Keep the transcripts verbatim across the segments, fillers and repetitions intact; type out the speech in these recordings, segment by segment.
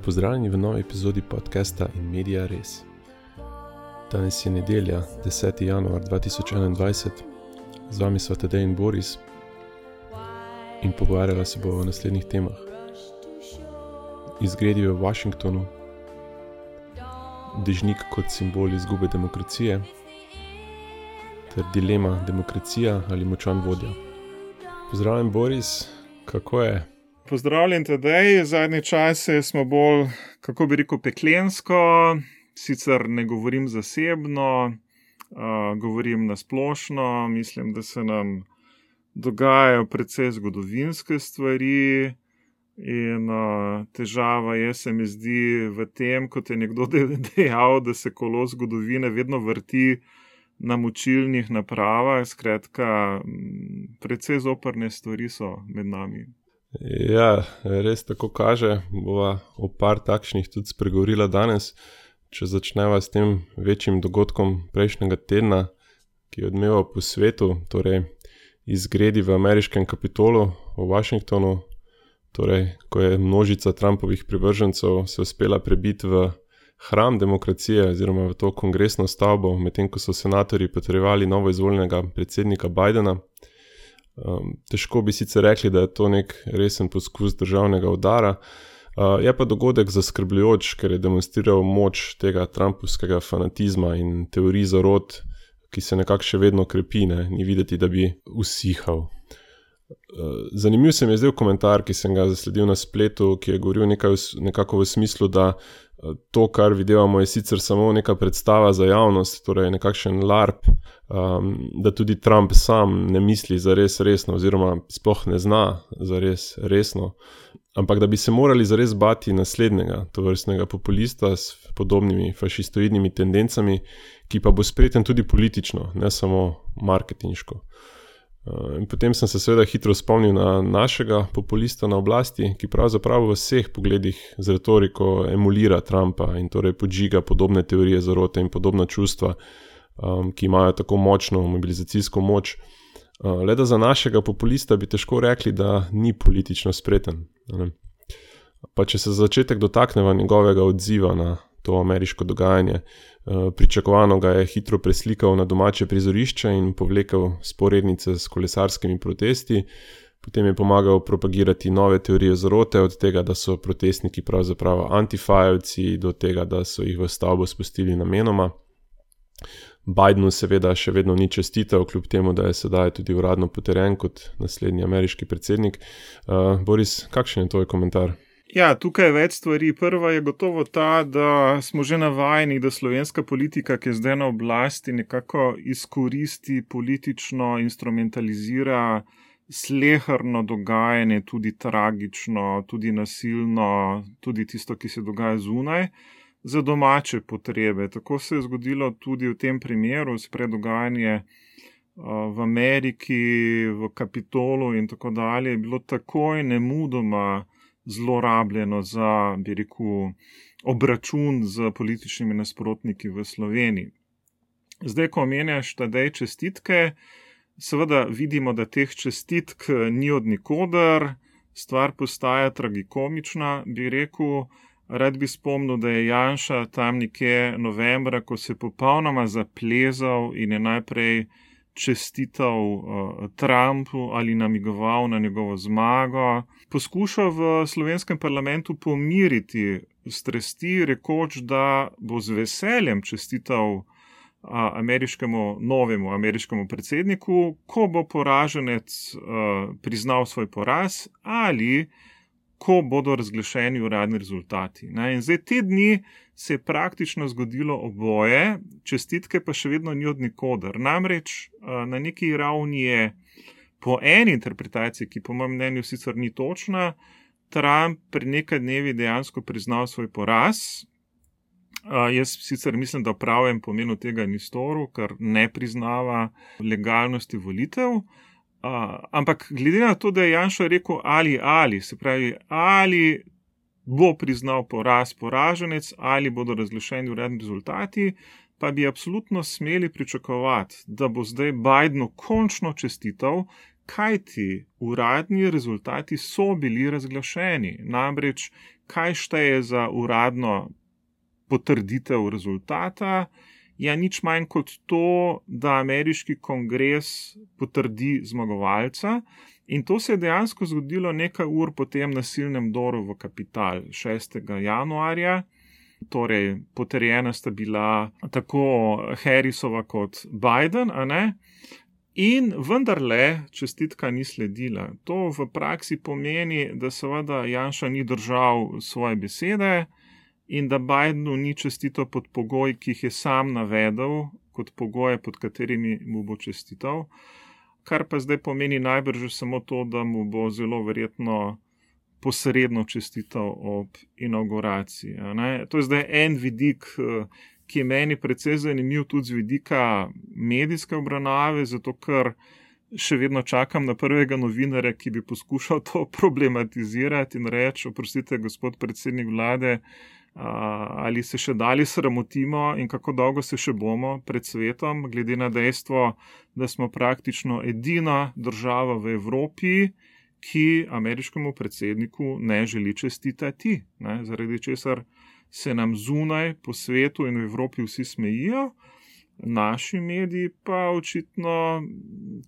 Pozdravljeni v novi epizodi podcasta In Media Res. Danes je nedelja, deseti januar dva tisoč enaindvajset. Z vami sva Tadej in Boris in pogovarjala se bo o naslednjih temah. Izgredi v Washingtonu, dežnik kot simbol izgube demokracije ter dilema demokracija ali močan vodja. Pozdravljen Boris, kako je? Pozdravljen Tadej, zadnje čase smo bolj, kako bi rekel, peklensko, sicer ne govorim zasebno, uh, govorim nasplošno, mislim, da se nam dogajajo precej zgodovinske stvari in uh, težava je, se mi zdi, v tem, kot je nekdo dejal, da se kolo zgodovine vedno vrti na močilnih napravah, skratka, precej zoprne stvari so med nami. Ja, res tako kaže, bova o par takšnih tudi spregovorila danes. Če začneva s tem večjim dogodkom prejšnjega tedna, ki je odmeval po svetu, torej izgredi v ameriškem Kapitolu v Washingtonu, torej ko je množica Trumpovih privržencev se uspela prebiti v hram demokracije oziroma v to kongresno stavbo, medtem ko so senatorji potrjevali novo izvoljenega predsednika Bidena. Um, težko bi sicer rekli, da je to nek resen poskus državnega udara. Uh, je pa dogodek zaskrbljujoč, ker je demonstriral moč tega trumpovskega fanatizma in teorij zarot, ki se nekako še vedno krepi, ne? Ni videti, da bi usihal. Uh, zanimiv se mi je zdaj komentar, ki sem ga zasledil na spletu, ki je govoril nekaj, nekako v smislu, da to, kar videvamo, je sicer samo neka predstava za javnost, torej nekakšen larp, um, da tudi Trump sam ne misli zares resno oziroma sploh ne zna zares resno, ampak da bi se morali zares bati naslednjega tovrstnega populista s podobnimi fašistoidnimi tendencami, ki pa bo spreten tudi politično, ne samo marketinško. In potem sem se seveda hitro spomnil na našega populista na oblasti, ki pravzaprav v vseh pogledih z retoriko emulira Trumpa in torej podžiga podobne teorije zarote in podobna čustva, um, ki imajo tako močno mobilizacijsko moč. Uh, le da za našega populista bi težko rekli, da ni politično spreten. Ne? Pa če se za začetek dotakneva njegovega odziva na to ameriško dogajanje. Pričakovano ga je hitro preslikal na domače prizorišče in povlekel sporednice s kolesarskimi protesti. Potem je pomagal propagirati nove teorije zarote, od tega, da so protestniki pravzaprav antifajevci, do tega, da so jih v stavbo spustili namenoma. Bidenu seveda še vedno ni čestitev, kljub temu, da je sedaj tudi uradno potrjen kot naslednji ameriški predsednik. Uh, Boris, kakšen je tvoj komentar? Ja, tukaj je več stvari. Prva je gotovo ta, da smo že navajeni, da slovenska politika, ki je zdaj na oblasti, nekako izkoristi, politično instrumentalizira sleherno dogajanje, tudi tragično, tudi nasilno, tudi tisto, ki se dogaja zunaj, za domače potrebe. Tako se je zgodilo tudi v tem primeru, spred dogajanje v Ameriki, v Kapitolu in tako dalje, je bilo takoj nemudoma zlorabljeno za, bi rekel, obračun z političnimi nasprotniki v Sloveniji. Zdaj, ko omenjaš Tadej čestitke, seveda vidimo, da teh čestitk ni od nikoder, stvar postaja tragikomična, bi rekel. Rad bi spomnil, da je Janša tam nekje novembra, ko se je popolnoma zaplezal in je najprej čestital uh, Trumpu ali namigoval na njegovo zmago, poskušal v slovenskem parlamentu pomiriti strasti, rekoč, da bo z veseljem čestital uh, ameriškemu, novemu ameriškemu predsedniku, ko bo poraženec uh, priznal svoj poraz ali ko bodo razglašeni uradni rezultati. Ne? In zdaj te dni se je praktično zgodilo oboje, čestitke pa še vedno ni od nikoder. Namreč na neki ravni je po eni interpretaciji, ki po mojem mnenju sicer ni točna, Trump pred nekaj dnevi dejansko priznal svoj poraz. Jaz sicer mislim, da v pravem pomenu tega ni storil, ker ne priznava legalnosti volitev. Uh, ampak glede na to, da je Janša rekel ali ali, se pravi, ali bo priznal poraz poraženec, ali bodo razglašeni uradni rezultati, pa bi absolutno smeli pričakovati, da bo zdaj Bidenu končno čestital, kajti uradni rezultati so bili razglašeni. Namreč, kaj šteje za uradno potrditev rezultata, je nič manj kot to, da ameriški kongres potrdi zmagovalca, in to se je dejansko zgodilo nekaj ur po tem nasilnem vdoru v Kapital šestega januarja. Torej, potrjena sta bila tako Harrisova kot Biden, a ne? In vendarle čestitka ni sledila. To v praksi pomeni, da seveda Janša ni držal svoje besede in da Bidenu ni čestital pod pogoji, ki jih je sam navedel, kot pogoje, pod katerimi mu bo čestital. Kar pa zdaj pomeni najbrž samo to, da mu bo zelo verjetno posredno čestital ob inauguraciji. To je zdaj en vidik, ki je meni precej zanimiv tudi z vidika medijske obravnave, zato ker še vedno čakam na prvega novinarja, ki bi poskušal to problematizirati in reči, oprostite, gospod predsednik vlade, ali se še dalje sramotimo in kako dolgo se še bomo pred svetom, glede na dejstvo, da smo praktično edina država v Evropi, ki ameriškemu predsedniku ne želi čestitati, ne, zaradi česar se nam zunaj po svetu in v Evropi vsi smejijo, naši mediji pa očitno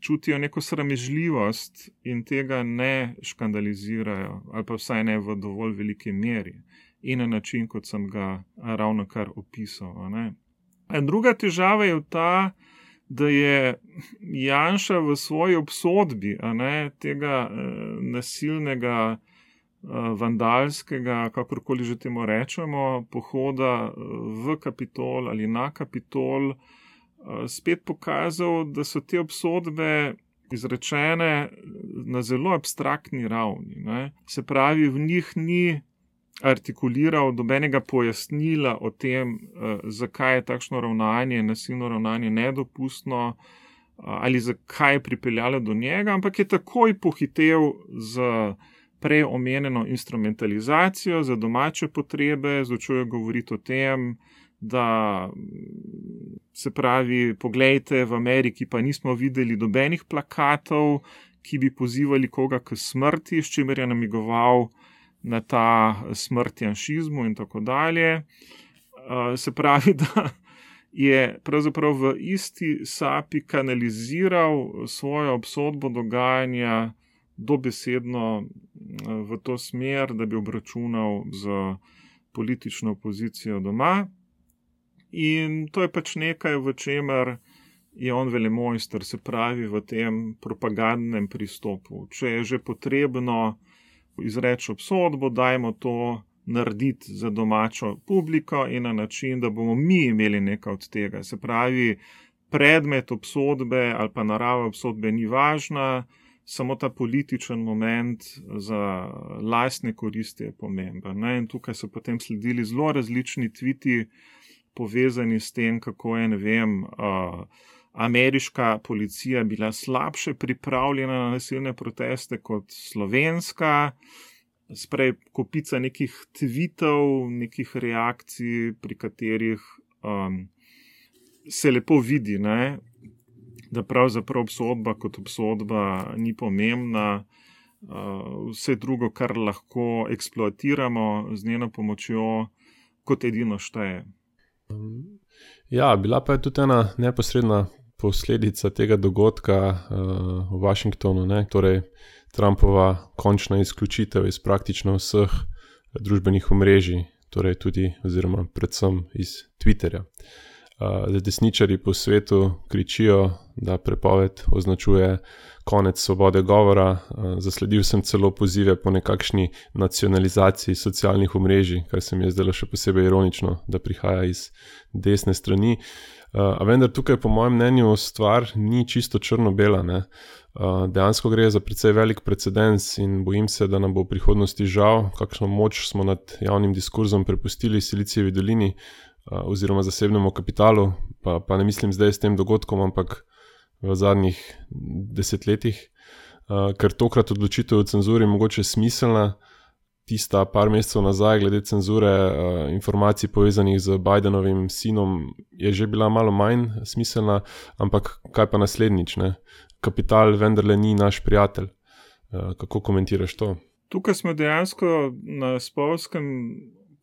čutijo neko sramežljivost in tega ne škandalizirajo, ali pa vsaj ne v dovolj veliki meri in na način, kot sem ga ravnokar opisal. Ne. Druga težava je ta, da je Janša v svoji obsodbi, a ne, tega eh, nasilnega, eh, vandalskega, kakorkoli že temu rečemo, pohoda v Kapitol ali na Kapitol, eh, spet pokazal, da so te obsodbe izrečene na zelo abstraktni ravni. Ne. Se pravi, v njih ni artikuliral dobenega pojasnila o tem, zakaj je takšno ravnanje, nasilno ravnanje nedopustno ali zakaj je pripeljalo do njega, ampak je takoj pohitev z prej omenjeno instrumentalizacijo za domače potrebe, začel je govoriti o tem, da se pravi, poglejte, v Ameriki pa nismo videli dobenih plakatov, ki bi pozivali koga k smrti, s čimer je namigoval na ta smrt janšizmu in tako dalje. Se pravi, da je pravzaprav v isti sapi kanaliziral svojo obsodbo dogajanja dobesedno v to smer, da bi obračunal z politično opozicijo doma. In to je pač nekaj, v čemer je on velemojster, se pravi v tem propagandnem pristopu. Če je že potrebno izreči obsodbo, dajmo to narediti za domačo publiko in na način, da bomo mi imeli nekaj od tega. Se pravi, predmet obsodbe ali pa narava obsodbe ni važna, samo ta političen moment za lastne koristi je pomemben. Ne? In tukaj so potem sledili zelo različni tviti povezani s tem, kako je, ne vem, uh, ameriška policija bila slabše pripravljena na nasilne proteste kot slovenska, sprej kopica nekih tvitov, nekih reakcij, pri katerih um, se lepo vidi, ne, da pravzaprav obsodba kot obsodba ni pomembna, uh, vse drugo, kar lahko eksploatiramo z njeno pomočjo, kot edino šteje. Ja, bila pa je tudi ena neposredna posledica tega dogodka uh, v Washingtonu, ne? Torej Trumpova končna izključitev iz praktično vseh družbenih omrežij, torej tudi oziroma predvsem iz Twitterja. Uh, desničarji po svetu kričijo, da prepoved označuje konec svobode govora. Uh, zasledil sem celo pozive po nekakšni nacionalizaciji socialnih omrežij, kar se mi je zdelo še posebej ironično, da prihaja iz desne strani. Uh, a vendar tukaj po mojem mnenju stvar ni čisto črno-bela. Ne? Uh, dejansko gre za precej velik precedens in bojim se, da nam bo v prihodnosti žal, kakšno moč smo nad javnim diskurzom prepustili Silicijevi dolini uh, oziroma zasebnemu kapitalu, pa, pa ne mislim zdaj s tem dogodkom, ampak v zadnjih desetletjih, uh, ker tokrat odločitev o cenzuri mogoče smiselna, tista par mesecev nazaj glede cenzure uh, informacij povezanih z Bidenovim sinom je že bila malo manj smiselna, ampak kaj pa naslednjič, ne? Kapital vendarle ni naš prijatelj. Uh, kako komentiraš to? Tukaj smo dejansko na spolskem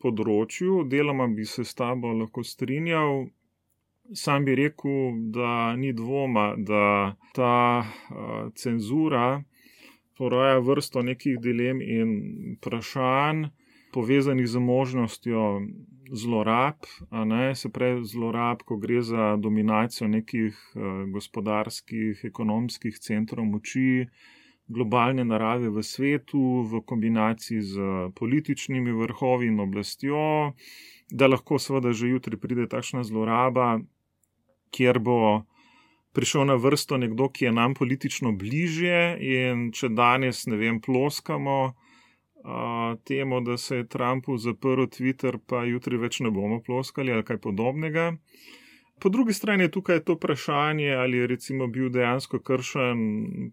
področju, deloma bi se s tabo lahko strinjal. Sam bi rekel, da ni dvoma, da ta uh, cenzura poraja vrsto nekih dilem in vprašanj povezanih z možnostjo zlorab, a ne, se pravi zlorab, ko gre za dominacijo nekih uh, gospodarskih, ekonomskih centrov moči, globalne narave v svetu, v kombinaciji z političnimi vrhovi in oblastjo, da lahko seveda že jutri pride takšna zloraba, kjer bo prišel na vrsto nekdo, ki je nam politično bližje in če danes, ne vem, ploskamo a, temu, da se je Trumpu zaprl Twitter, pa jutri več ne bomo ploskali ali kaj podobnega. Po drugi strani je tukaj to vprašanje, ali je recimo bil dejansko kršen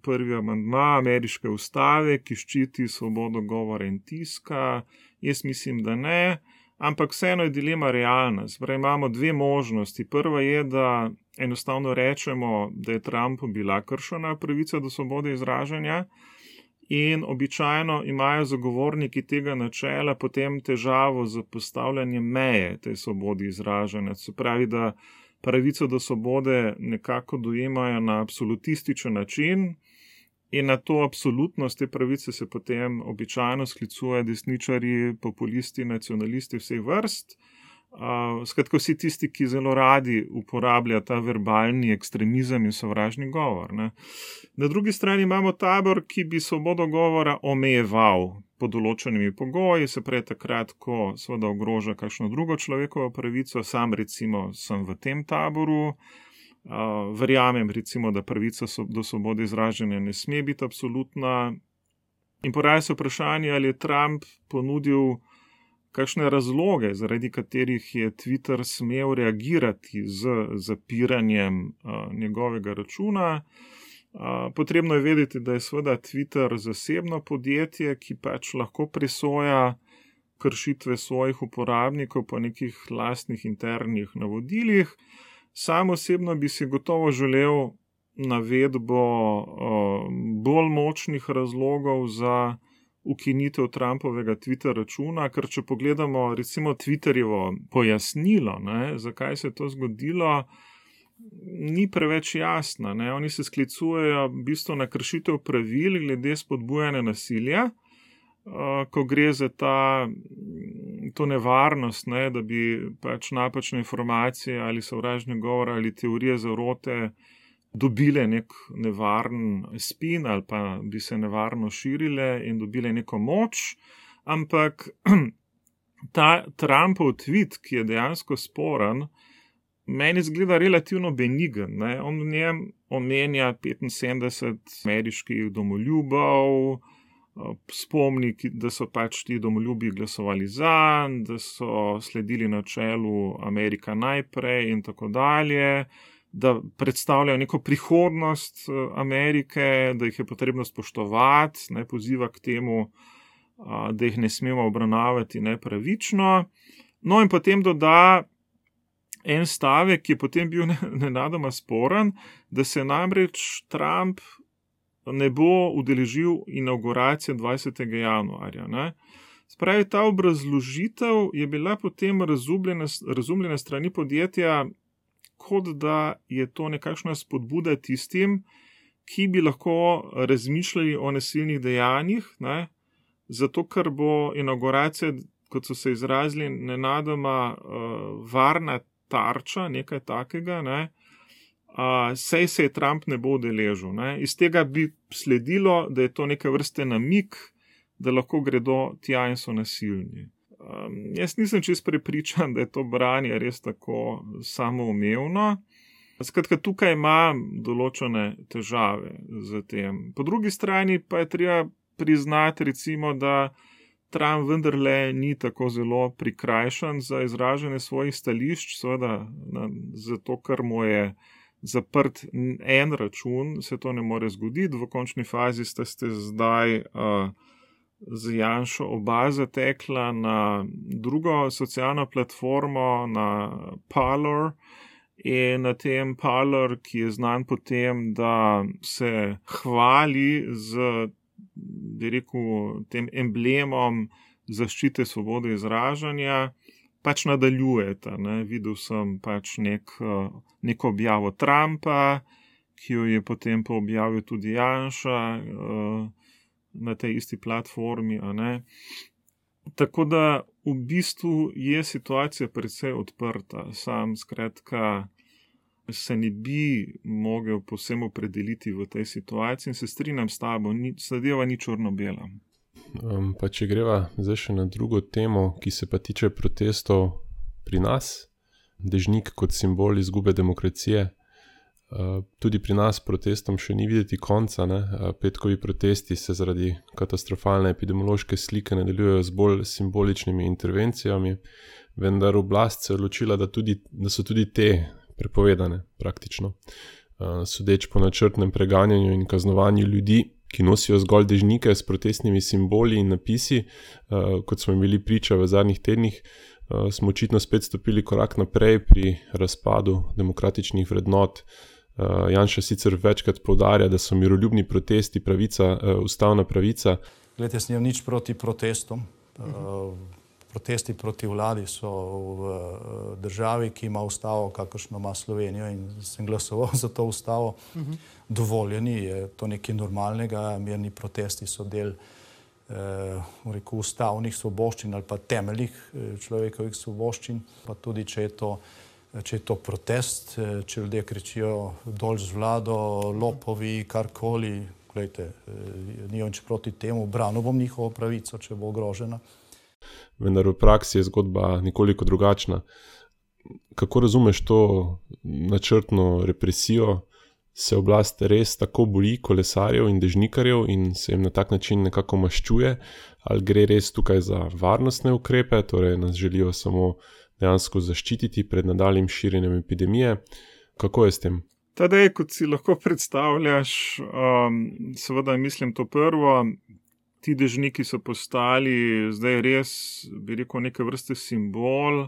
prvi amandma ameriške ustave, ki ščiti svobodo govora in tiska. Jaz mislim, da ne, ampak vseeno je dilema realna. Zdaj imamo dve možnosti. Prva je, da enostavno rečemo, da je Trumpu bila kršena pravica do svobode izražanja in običajno imajo zagovorniki tega načela potem težavo z postavljanjem meje tej svobodi izražanja. Se pravi, da pravico do svobode nekako dojemajo na absolutističen način in na to absolutnost te pravice se potem običajno sklicuje desničarji, populisti, nacionalisti vseh vrst. Uh, skratka, vsi tisti, ki zelo radi uporabljajo ta verbalni ekstremizem in sovražni govor. Ne. Na drugi strani imamo tabor, ki bi svobodo govora omejeval pod določenimi pogoji, se pravi takrat, ko seveda ogroža kakšno drugo človekovo pravico. Sam recimo sem v tem taboru, uh, verjamem recimo, da pravica so, do svobode izražanja ne sme biti absolutna. In poraja se vprašanje, ali je Trump ponudil kakšne razloge, zaradi katerih je Twitter smel reagirati z zapiranjem uh, njegovega računa. Uh, potrebno je vedeti, da je seveda Twitter zasebno podjetje, ki pač lahko presoja kršitve svojih uporabnikov po nekih lastnih internih navodilih. Sam osebno bi si gotovo želel navedbo uh, bolj močnih razlogov za ukinitev Trumpovega Twitter računa, ker če pogledamo recimo Twitterjevo pojasnilo, ne, zakaj se je to zgodilo, ni preveč jasna. Ne. Oni se sklicujejo v bistvu na kršitev pravil glede spodbujanja nasilja, uh, ko gre za ta, to nevarnost, ne, da bi pač napačne informacije ali sovražni govor ali teorije zarote dobile nek nevaren spin ali pa bi se nevarno širile in dobile neko moč, ampak ta Trumpov tweet, ki je dejansko sporen, meni zgleda relativno benigen. Ne? On v njem omenja petinsedemdeset ameriških domoljubov, spomni, da so pač ti domoljubi glasovali zanj, da so sledili načelu Amerika najprej in tako dalje, da predstavljajo neko prihodnost Amerike, da jih je potrebno spoštovati, ne, poziva k temu, da jih ne smemo obravnavati nepravično. No in potem doda en stavek, ki je potem bil nenadoma sporen, da se namreč Trump ne bo udeležil inavguracije dvajsetega januarja. Ne. Spravi, ta obrazložitev je bila potem razumljena, razumljena strani podjetja, kot da je to nekakšna spodbuda tistim, ki bi lahko razmišljali o nasilnih dejanjih, ne? Zato ker bo inavguracija, kot so se izrazili, nenadoma uh, varna tarča, nekaj takega, ne? uh, sej se je Trump ne bo udeležil. Ne? Iz tega bi sledilo, da je to neke vrste namik, da lahko gredo tja in so nasilni. Um, jaz nisem čisto prepričan, da je to branje res tako samoumevno. Skratka, tukaj ima določene težave z tem. Po drugi strani pa je treba priznati, recimo, da Trump vendarle ni tako zelo prikrajšan za izražanje svojih stališč, seveda zato, ker mu je zaprt en račun, se to ne more zgoditi. V končni fazi ste, ste zdaj uh, z Janšo oba zatekla na drugo socialno platformo, na Parler. In na tem Parler, ki je znan po tem, da se hvali z, bi rekel, tem emblemom zaščite svobode izražanja, pač nadaljujeta. Ne. Videl sem pač nek, neko objavo Trumpa, ki jo je potem pa objavil tudi Janša na tej isti platformi. A ne. Tako da v bistvu je situacija precej odprta. Sam skratka se ne bi mogel povsem opredeliti v tej situaciji in se strinjam s tabo, ni, zadeva ni črno-bela. Um, pa če greva zdaj še na drugo temo, ki se pa tiče protestov pri nas, dežnik kot simbol izgube demokracije. Uh, tudi pri nas protestom še ni videti konca. Ne? Uh, petkovi protesti se zaradi katastrofalne epidemiološke slike nadaljujejo z bolj simboličnimi intervencijami, vendar oblast se je odločila, da, tudi, da so tudi te prepovedane praktično. Uh, sodeč po načrtnem preganjanju in kaznovanju ljudi, ki nosijo zgolj dežnike s protestnimi simboli in napisi, uh, kot smo bili priča v zadnjih tednih, uh, smo očitno spet stopili korak naprej pri razpadu demokratičnih vrednot. Uh, Janša sicer večkrat poudarja, da so miroljubni protesti pravica, uh, ustavna pravica. Glede, jaz nimam nič proti protestom. Uh, protesti proti vladi so v uh, državi, ki ima ustavo, kakršno ima Slovenijo, in sem glasoval za to ustavo. Uh-huh. Dovoljeni, je to nekaj normalnega, mirni protesti so del uh, rekel, ustavnih svoboščin ali pa temeljih človekovih svoboščin, pa tudi če je to če je to protest, če ljudje kričijo dol z vlado, lopovi, karkoli, gledajte, nimam nič proti temu, branil bom njihovo pravico, če bo ogrožena. Vendar v praksi je zgodba nekoliko drugačna. Kako razumeš to načrtno represijo? Se oblast res tako boji kolesarjev in dežnikarjev in se jim na tak način nekako maščuje? Ali gre res tukaj za varnostne ukrepe, torej nas želijo samo dejansko zaščititi pred nadaljnjim širjenjem epidemije? Kako je s tem? Tadej, kot si lahko predstavljaš, um, seveda mislim to prvo, ti dežniki so postali zdaj res, bi rekel, neke vrste simbol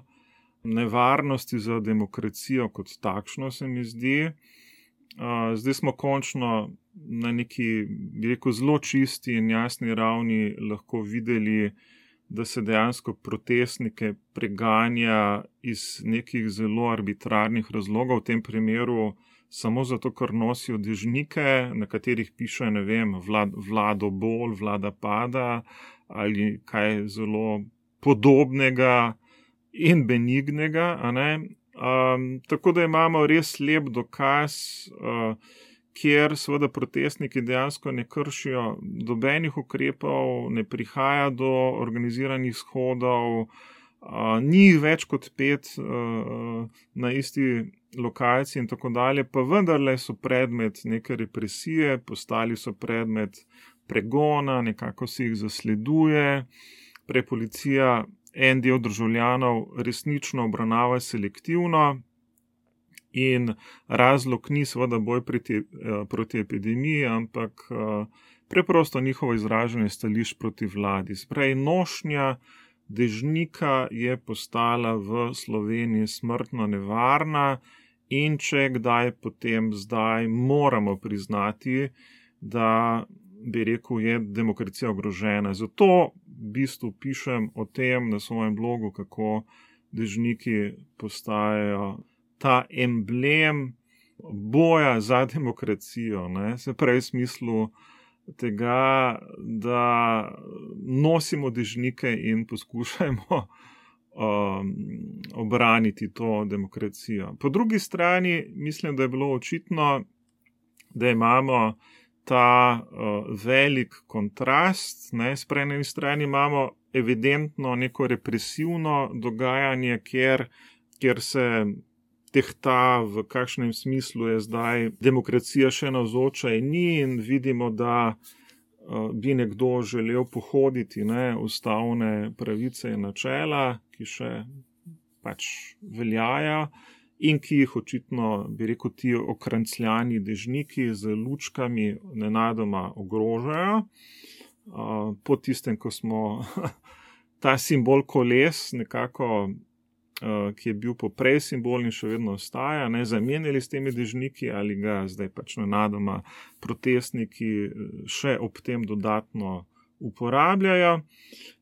nevarnosti za demokracijo kot takšno, se mi zdi. Uh, zdaj smo končno na neki, bi rekel, zelo čisti in jasni ravni lahko videli, da se dejansko protestnike preganja iz nekih zelo arbitrarnih razlogov, v tem primeru samo zato, ker nosijo dežnike, na katerih piše, ne vem, vlad, vlado bol, vlada pada ali kaj zelo podobnega in benignega, a ne. Um, tako da imamo res lep dokaz, uh, kjer seveda protestniki dejansko ne kršijo dobenih ukrepov, ne prihaja do organiziranih shodov, uh, ni več kot pet uh, na isti lokaciji in tako dalje, pa vendarle so predmet neke represije, postali so predmet pregona, nekako se jih zasleduje, prej policija en del državljanov resnično obravnava selektivno. In razlog ni seveda boj proti, proti epidemiji, ampak preprosto njihovo izražanje stališč proti vladi. Sprej, nošnja dežnika je postala v Sloveniji smrtno nevarna in če kdaj, potem zdaj moramo priznati, da bi rekel, je demokracija ogrožena. Zato v bistvu pišem o tem na svojem blogu, kako dežniki postajajo ta emblem boja za demokracijo, ne? Se pravi v smislu tega, da nosimo dežnike in poskušajmo um, obraniti to demokracijo. Po drugi strani mislim, da je bilo očitno, da imamo ta uh, velik kontrast, ne? Sprej na eni strani imamo evidentno neko represivno dogajanje, kjer, kjer se tehta, v kakšnem smislu je zdaj demokracija še navzoča in ni, in vidimo, da uh, bi nekdo želel pohoditi, ne, ustavne pravice in načela, ki še pač veljajo in ki jih očitno, bi rekel, ti okrancljani dežniki z lučkami nenadoma ogrožajo. uh, po tistem, ko smo ta simbol koles nekako, uh, ki je bil poprej simbol in še vedno ostaja, ne, zamenjali s temi dežniki ali ga zdaj pač nenadoma protestniki še ob tem dodatno uporabljajo.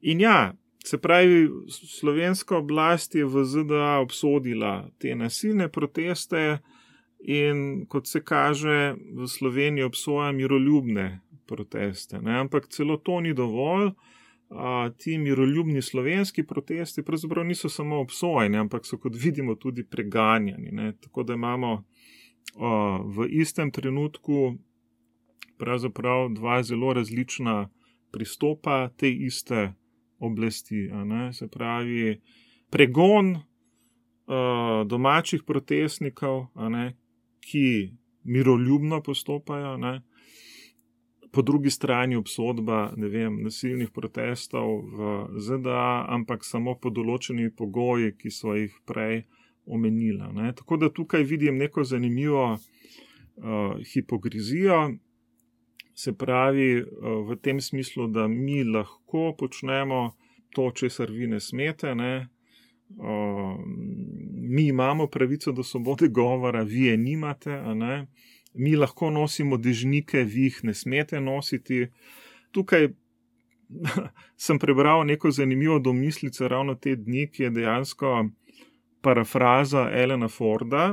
In ja, se pravi, slovenska oblast je v Z D A obsodila te nasilne proteste in kot se kaže, v Sloveniji obsoja miroljubne proteste. Ne? Ampak celo to ni dovolj. A, ti miroljubni slovenski protesti pravzaprav niso samo obsojeni, ampak so, kot vidimo, tudi preganjani. Ne? Tako da imamo a, v istem trenutku pravzaprav dva zelo različna pristopa te iste oblasti. A ne? Se pravi, pregon a, domačih protestnikov, a ne? Ki miroljubno postopajo, ne? Po drugi strani obsodba, ne vem, nasilnih protestov v Z D A, ampak samo po določeni pogoji, ki so jih prej omenila. Ne? Tako da tukaj vidim neko zanimivo uh, hipokrizijo, se pravi uh, v tem smislu, da mi lahko počnemo to, česar vi ne smete, ne? Uh, mi imamo pravico do svobode govora, vi je nimate, a ne? Mi lahko nosimo dežnike, vi jih ne smete nositi. Tukaj sem prebral neko zanimivo domislico ravno te dni, ki je dejansko parafraza Alana Forda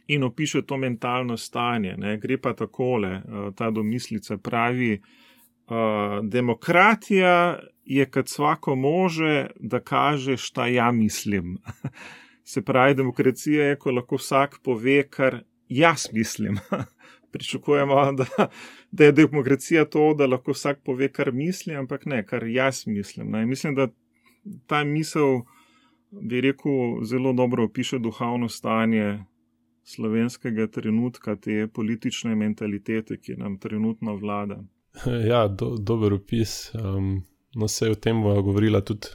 in opiše to mentalno stanje. Ne? Gre pa takole, ta domislica pravi, demokratija je kad svako može, da kaže šta ja mislim. Se pravi, demokracija je, ko lahko vsak pove, kar jaz mislim. Pričakujemo, da, da je demokracija to, da lahko vsak pove, kar misli, ampak ne, kar jaz mislim. Ne. Mislim, da ta misel, bi rekel, zelo dobro opiše duhovno stanje slovenskega trenutka, te politične mentalitete, ki nam trenutno vlada. Ja, do, dober opis. Um, no, se je o tem govorila tudi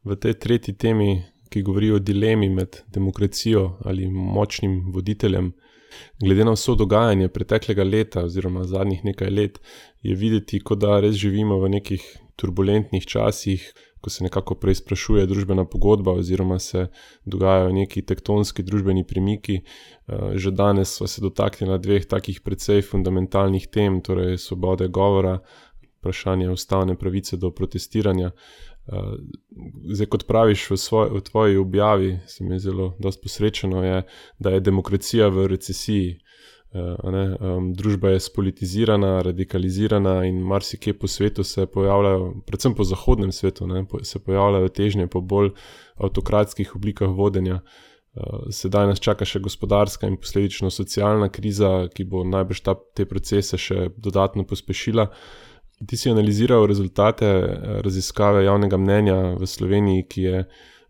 v tej tretji temi, ki govori o dilemi med demokracijo ali močnim voditeljem. Glede na vso dogajanje preteklega leta oziroma zadnjih nekaj let je videti, kot da res živimo v nekih turbulentnih časih, ko se nekako preizprašuje družbena pogodba oziroma se dogajajo neki tektonski družbeni premiki. Že danes sva se dotaknila dveh takih precej fundamentalnih tem, torej svobode govora, vprašanje ustavne pravice do protestiranja. Zdaj, kot praviš v, svoj, v tvoji objavi, se mi je zelo dosti posrečeno, je, da je demokracija v recesiji. Ne? Družba je spolitizirana, radikalizirana in marsikje po svetu se pojavljajo, predvsem po zahodnem svetu, ne? Se pojavljajo težnje po bolj avtokratskih oblikah vodenja. Sedaj nas čaka še gospodarska in posledično socialna kriza, ki bo najbrž ta, te procese še dodatno pospešila. Ti si analiziral rezultate raziskave javnega mnenja v Sloveniji, ki je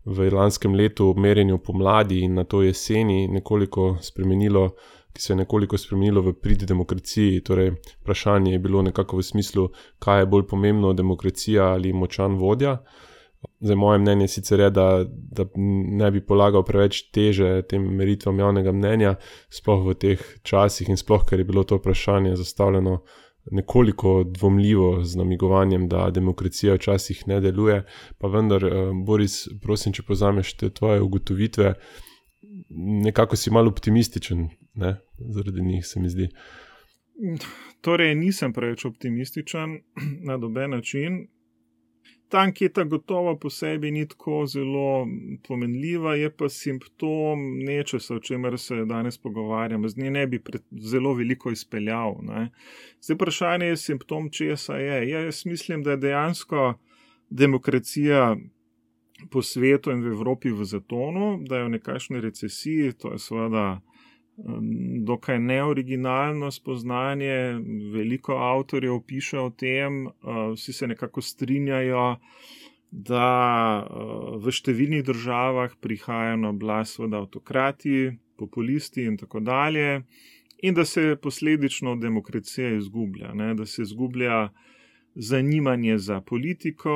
v lanskem letu ob merjenju pomladi in na to jeseni nekoliko spremenilo, ki se je nekoliko spremenilo v prid demokraciji. Torej, vprašanje je bilo nekako v smislu, kaj je bolj pomembno, demokracija ali močan vodja. Zdaj, moje mnenje sicer je, da, da ne bi polagal preveč teže tem meritvam javnega mnenja, sploh v teh časih in sploh, ker je bilo to vprašanje zastavljeno nekoliko dvomljivo z namigovanjem, da demokracija včasih ne deluje. Pa vendar, Boris, prosim, če povzameš te tvoje ugotovitve, nekako si malo optimističen, ne? Zaradi njih se mi zdi. Torej, nisem preveč optimističen na noben način. Ta anketa gotovo po sebi ni tako zelo pomenljiva, je pa simptom nečesa, o čemer se danes pogovarjamo. Z nje ne bi pred, zelo veliko izpeljal. Ne. Zdaj vprašanje je simptom, česa je. Ja, jaz mislim, da je dejansko demokracija po svetu in v Evropi v zatonu, da je v nekakšni recesiji, to je seveda dokaj neoriginalno spoznanje, veliko avtorjev piše o tem, vsi se nekako strinjajo, da v številnih državah prihajajo na oblast seveda avtokrati, populisti in tako dalje, in da se posledično demokracija izgublja, ne? Da se izgublja zanimanje za politiko,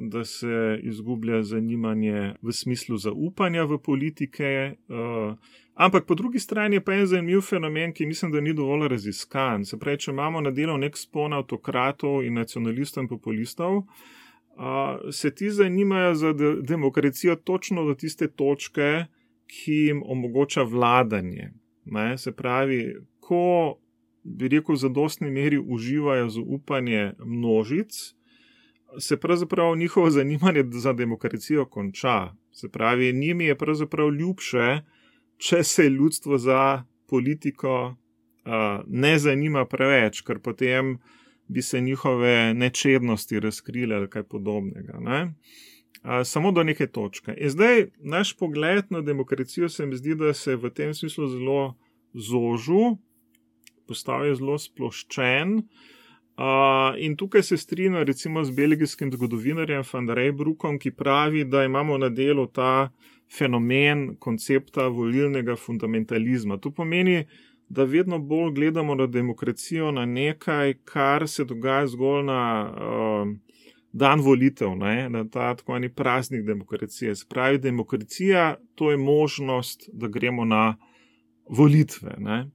da se izgublja zanimanje v smislu zaupanja v politike, uh, ampak po drugi strani je pa en zanimiv fenomen, ki mislim, da ni dovolj raziskan. Se pravi, če imamo na delu nek spon avtokratov in nacionalistov in populistov, uh, se ti zanimajo za de- demokracijo točno do tiste točke, ki jim omogoča vladanje. Ne? Se pravi, ko bi rekel, v zadostni meri uživajo zaupanje množic, se pravzaprav njihovo zanimanje za demokracijo konča. Se pravi, njimi je pravzaprav ljubše, če se ljudstvo za politiko uh, ne zanima preveč, ker potem bi se njihove nečednosti razkrile ali kaj podobnega. Ne? Uh, samo do neke točke. In zdaj, naš pogled na demokracijo se mi zdi, da se v tem smislu zelo zožil, postal je zelo sploščen. Uh, in tukaj se strinjam recimo z belgijskim zgodovinarjem Van Reybrouckom, ki pravi, da imamo na delu ta fenomen koncepta volilnega fundamentalizma. To pomeni, da vedno bolj gledamo na demokracijo na nekaj, kar se dogaja zgolj na uh, dan volitev, ne? Na ta tako eni praznik demokracije. Se pravi, demokracija, to je možnost, da gremo na volitve. Ne?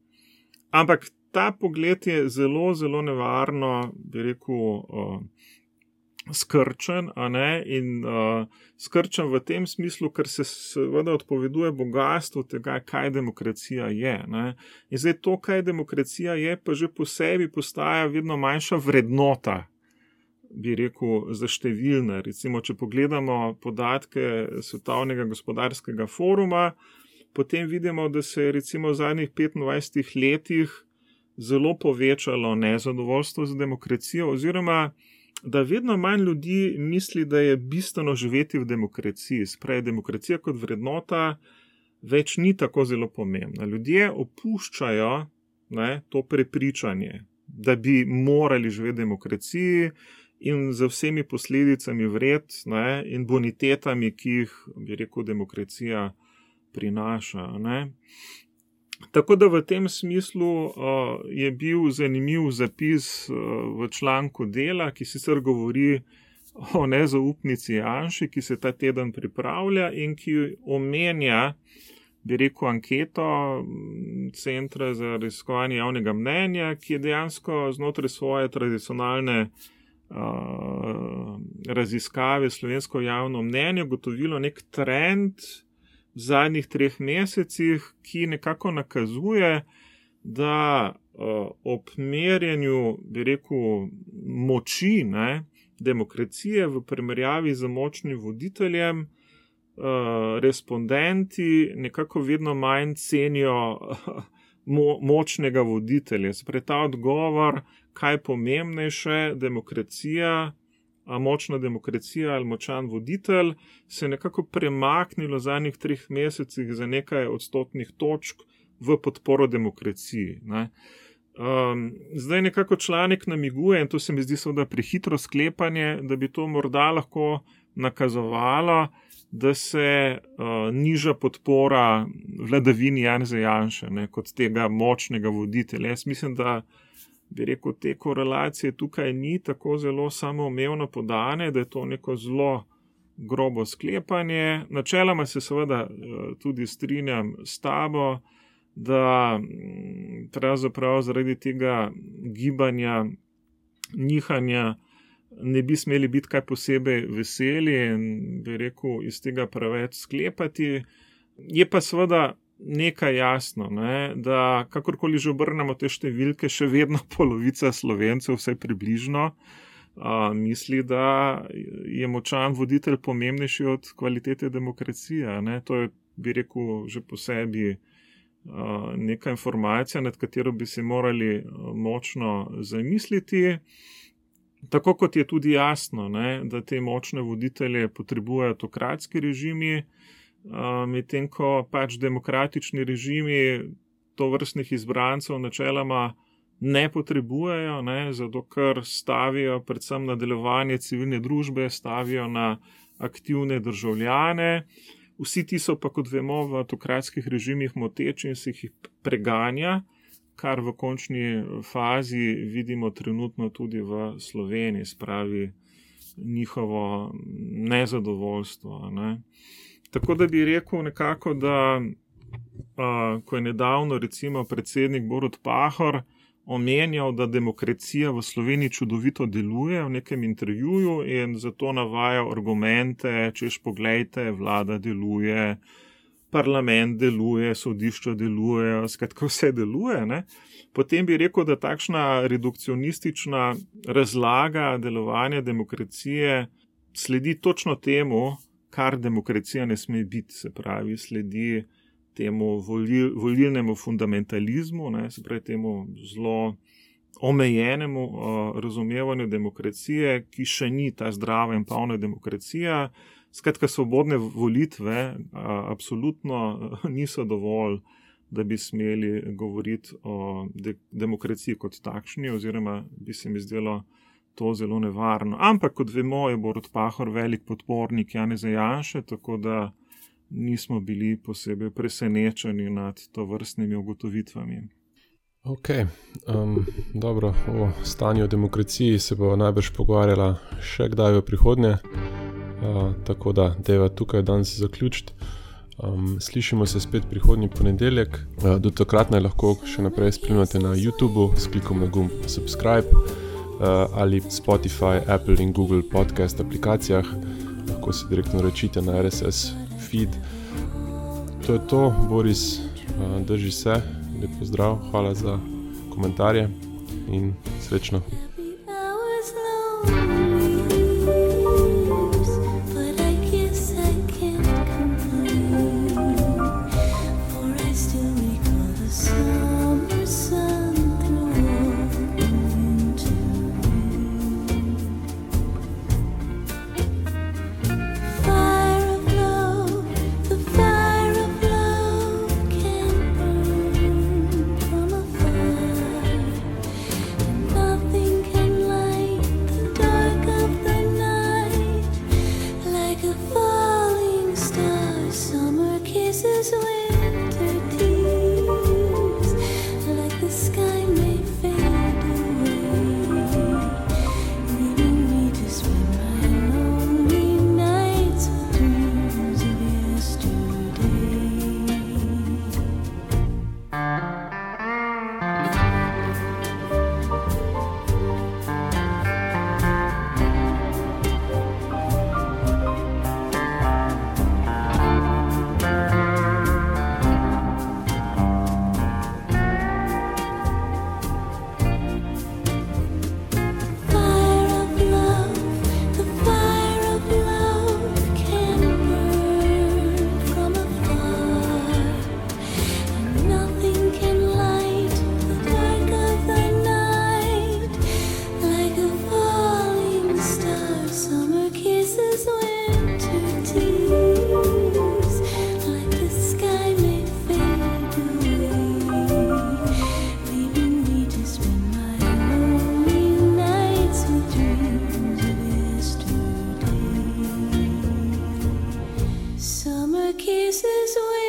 Ampak ta pogled je zelo, zelo nevarno, bi rekel, uh, skrčen, a ne, in uh, skrčen v tem smislu, ker se seveda odpoveduje bogatstvo tega, kaj demokracija je. Ne? In zdaj to, kaj demokracija je, pa že po sebi postaja vedno manjša vrednota, bi rekel, za številne. Recimo, če pogledamo podatke Svetovnega gospodarskega foruma, potem vidimo, da se je recimo v zadnjih petindvajsetih letih zelo povečalo nezadovoljstvo z demokracijo, oziroma da vedno manj ljudi misli, da je bistveno živeti v demokraciji. Spravi, demokracija kot vrednota več ni tako zelo pomembna. Ljudje opuščajo, ne, to prepričanje, da bi morali živeti v demokraciji in z vsemi posledicami vred, ne, in bonitetami, ki jih, bi rekel, demokracija prinaša. Ne. Tako da v tem smislu uh, je bil zanimiv zapis uh, v članku Dela, ki sicer govori o nezaupnici Janši, ki se ta teden pripravlja in ki omenja, bi rekel, anketo Centra za raziskovanje javnega mnenja, ki je dejansko znotraj svoje tradicionalne uh, raziskave slovensko javno mnenje ugotovilo nek trend v zadnjih treh mesecih, ki nekako nakazuje, da uh, ob merjenju, bi rekel, moči, ne, demokracije v primerjavi z močnim voditeljem, uh, respondenti nekako vedno manj cenijo uh, mo- močnega voditelja. Sprej ta odgovor, kaj je pomembnejše, demokracija, a močna demokracija ali močan voditelj, se je nekako premaknilo v zadnjih treh mesecih za nekaj odstotnih točk v podporo demokraciji. Ne. Um, zdaj nekako članek namiguje, in to se mi zdi seveda prehitro sklepanje, da bi to morda lahko nakazovalo, da se uh, niža podpora vladavini Janeza Janše, ne, kot tega močnega voditelja. Jaz mislim, da bi rekel, te korelacije tukaj ni tako zelo samoumevno podane, da je to neko zelo grobo sklepanje. Načeloma se seveda tudi strinjam s tabo, da pravzaprav zaradi tega gibanja, nihanja ne bi smeli biti kaj posebej veseli in bi rekel, iz tega preveč sklepati. Je pa seveda nekaj jasno, ne, da kakorkoli že obrnemo te številke, še vedno polovica Slovencev, vsaj približno, a, misli, da je močan voditelj pomembnejši od kvalitete demokracije. Ne. To je, bi rekel, že po sebi a, neka informacija, nad katero bi se morali a, močno zamisliti. Tako kot je tudi jasno, ne, da te močne voditelje potrebujejo autokratski režimi, medtem ko pač demokratični režimi tovrstnih izbrancev načeloma ne potrebujejo, ne, zato ker stavijo predvsem na delovanje civilne družbe, stavijo na aktivne državljane. Vsi ti so pa, kot vemo, v autokratskih režimih moteči in se jih preganja, kar v končni fazi vidimo trenutno tudi v Sloveniji, spravi njihovo nezadovoljstvo. Ne. Tako da bi rekel nekako, da uh, ko je nedavno recimo predsednik Borut Pahor omenjal, da demokracija v Sloveniji čudovito deluje v nekem intervjuju in zato navaja argumente, češ poglejte, vlada deluje, parlament deluje, sodišča delujejo, skratka vse deluje, ne? Potem bi rekel, da takšna redukcionistična razlaga delovanja demokracije sledi točno temu, kar demokracija ne sme biti, se pravi, sledi temu volil, volilnemu fundamentalizmu, ne, se pravi temu zelo omejenemu uh, razumevanju demokracije, ki še ni ta zdrava in polna demokracija. Skratka, svobodne volitve uh, absolutno uh, niso dovolj, da bi smeli govoriti o de- demokraciji kot takšni, oziroma bi se mi zdelo to zelo nevarno. Ampak, kot vemo, je Borut Pahor velik podpornik Janeza Janše, tako da nismo bili posebej presenečeni nad tovrstnimi ugotovitvami. Ok, um, dobro, o stanju v demokraciji se bo najbrž pogovarjala še kdaj v prihodnje, uh, tako da deva tukaj danes zaključiti. Um, slišimo se spet prihodnji ponedeljek, uh, do takrat naj lahko še naprej spremljate na YouTubeu s klikom na gumb subscribe uh, ali Spotify, Apple in Google podcast aplikacijah, lahko se direktno rečite na R S S feed. To je to, Boris, uh, drži se, lep pozdrav, hvala za komentarje in srečno. Summer kisses away.